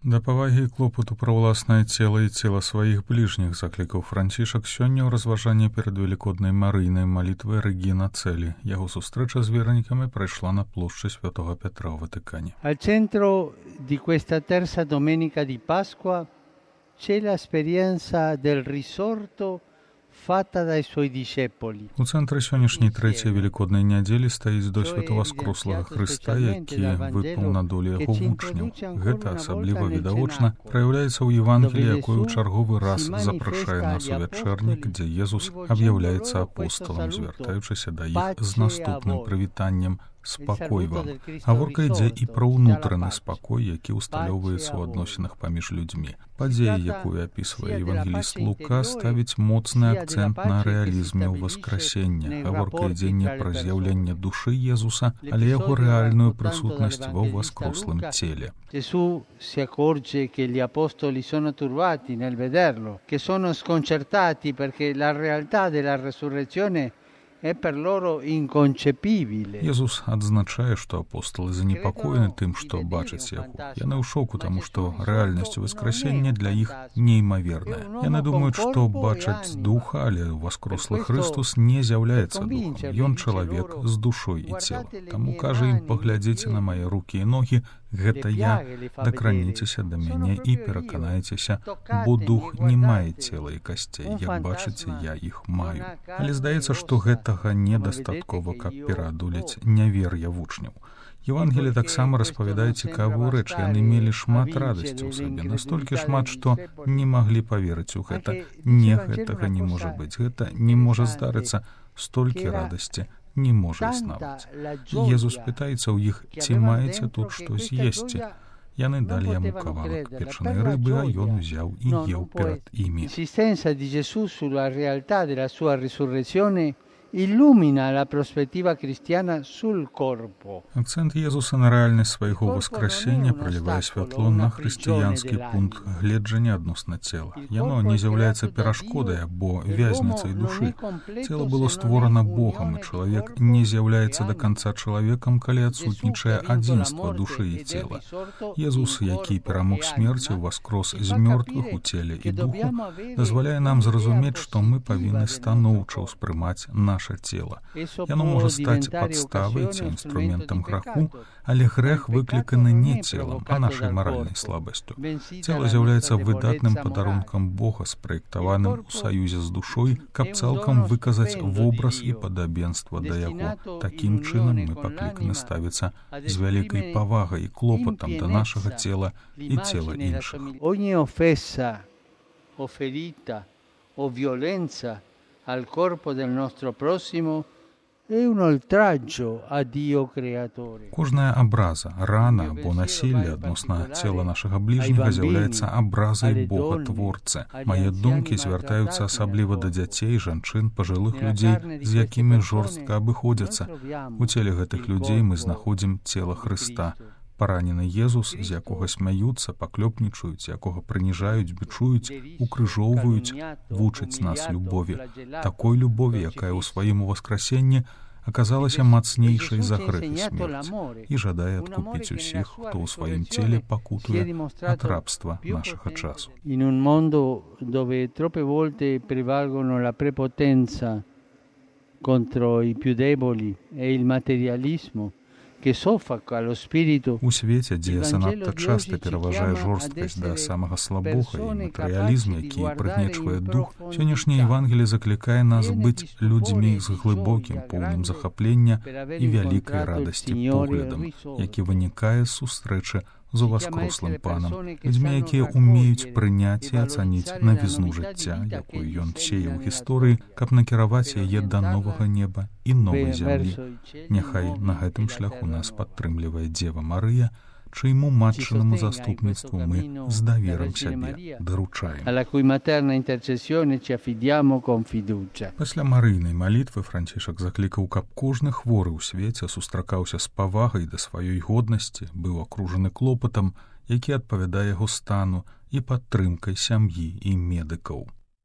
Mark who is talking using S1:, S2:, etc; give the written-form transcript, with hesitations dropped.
S1: Да павагі і клопату пра ўласнае цела і цела сваіх бліжніх заклікаў Францішак сёння ў разважанні перад велікоднай марыйнай малітвай Рэгіна Цэлі. Яго сустрэча з вернікамі прайшла на плошчы Святого Петра ў Ватыкане.
S2: Al centro di questa terza domenica di Pasqua c'è l'esperienza del risorto fatta dai suoi discepoli.
S1: У цэнтры сённяшняй трэцяй велікоднай нядзелі стаіць досвед воскрослага Хрыста, які выпаў на долю яго вучняў. Гэта асабліва відавочна праяўляецца ў Евангеліі, якое ў чарговы раз запрашае нас у вячэрнік, дзе Езус аб'яўляецца апосталам, звяртаючыся да іх з наступным прывітаннем: «Спакой вам». Гаворка ідзе і пра ўнутраны спакой, які ўсталёўваецца ў адносінах паміж людзьмі. Падзея, якую апісвае евангеліст Лука, ставіць моцны акцэнт на рэалізме ў васкрасення. Гаворка ідзе не пра з'яўленне душы Езуса, але яго рэальную прысутнасць ва ўваскрослым целе.
S2: Gesù si accorge che gli apostoli sono turbati nel vederlo, che sono sconcertati perché la realtà della resurrezione è per loro inconcepibile.
S1: Езус адзначае, што апосталы занепакоены тым, што бачаць яго. Яны ў шоку, таму што рэальнасць воскресення для іх неймаверная. Яны думаюць, што бачаць духа, але воскрослы Христус не з'яўляецца духом. Ён чалавек з душой і целом. Таму кажа ім: «Паглядзіце на мае рукі і ногі, гэта я, дакраніцеся да мяне і пераканайцеся, бо дух не мае цела і касцей, як бачыце, я іх маю». Але здаецца, што гэтага недастаткова, каб пераадолець нявер'е вучняў. Евангелие таксама распавядае цікавую рэч. Яны мелі шмат радасці ў сабе, настолькі шмат, што не маглі паверыць у гэта. Не, гэтага не можа быць, гэта не можа здарыцца, столькі радасці не можа існаваць. Езус пытаецца ў іх: «Ці маеце тут што з'есці?» Яны далі яму кавалак печанай рыбы, а ён узяў і еў перад імі.
S2: L'insistenza di Gesù sulla realtà della sua risurrezione illumina la prospettiva cristiana sul corpo.
S1: Акцэнт Езуса на рэальнасць свайго воскресення пралівае святло на хрысціянскі пункт гледжання адносна цела. Яно не з'яўляецца перашкодай або вязніцай душы. Цела было створана Богам, і чалавек не з'яўляецца да канца чалавекам, калі адсутнічае адзінства душы і цела. Езус, які перамог смерці, уваскрос з мёртвых у целе і духу, дазваляе нам зразумець, што мы павінны станоўча ўспрымаць наше цела. Яно можа стаць падставай ці інструментам граху, але грэх выкліканы не целам, а нашай маральнай слабасцю. Цела з'яўляецца выдатным падарункам Бога, спраектаваным у саюзе з душой, каб цалкам выказаць вобраз і падабенства да яго. Такім чынам мы пакліканы ставіцца з вялікай павагай і клопатам да нашага цела і цела іншых.
S2: Ogni offesa o ferita o violenza al corpo del nostro prossimo è un oltraggio a Dio creatore.
S1: Кожная абраза, рана або насілле адносна цела нашага бліжняга з'яўляецца абразай Бога Творцы. Мае думкі звяртаюцца асабліва да дзяцей, жанчын, пажылых людзей, з якімі жорстка абыходзяцца. У целе гэтых людзей мы знаходзім цела Хрыста. Паранены Езус, з якога смяюцца, паклёпнічаюць, якога прыніжаюць, бічуюць, укрыжоўваюць, вучаць нас любові. Такой любові, якая ў сваім уваскрасенні аказалася мацнейшай за грэх і смерць, і жадае адкупіць усіх, хто ў сваім целе пакутуе ад рабства нашага часу.
S2: In un mondo dove troppe volte prevalgono la prepotenza contro i più deboli e il materialismo,
S1: У свеце, дзе занадта часта пераважае жорсткасць да самага слабога і матэрыялізм, які прыгнечвае дух, сённяшняе Евангелие заклікае нас быць людзьмі з глыбокім, поўным захаплення і вялікай радасці поглядам, які вынікае з сустрэчы з уваскрослым панам, людзьмі, якія ўмеюць прыняць і ацаніць навізну жыцця, якую ён сеяў у гісторыі, каб накіраваць яе да новага неба і новай зямлі. Няхай на гэтым шляху нас падтрымлівае Дзева Марыя, чыйму матчынаму заступніцтву мы з даверам сябе даручаем. Пасля марыйнай малітвы Францішак заклікаў, каб кожны хворы ў свеце сустракаўся з павагай да сваёй годнасці, быў акружаны клопатам, які адпавядае яго стану, і падтрымкай сям'і і медыкаў.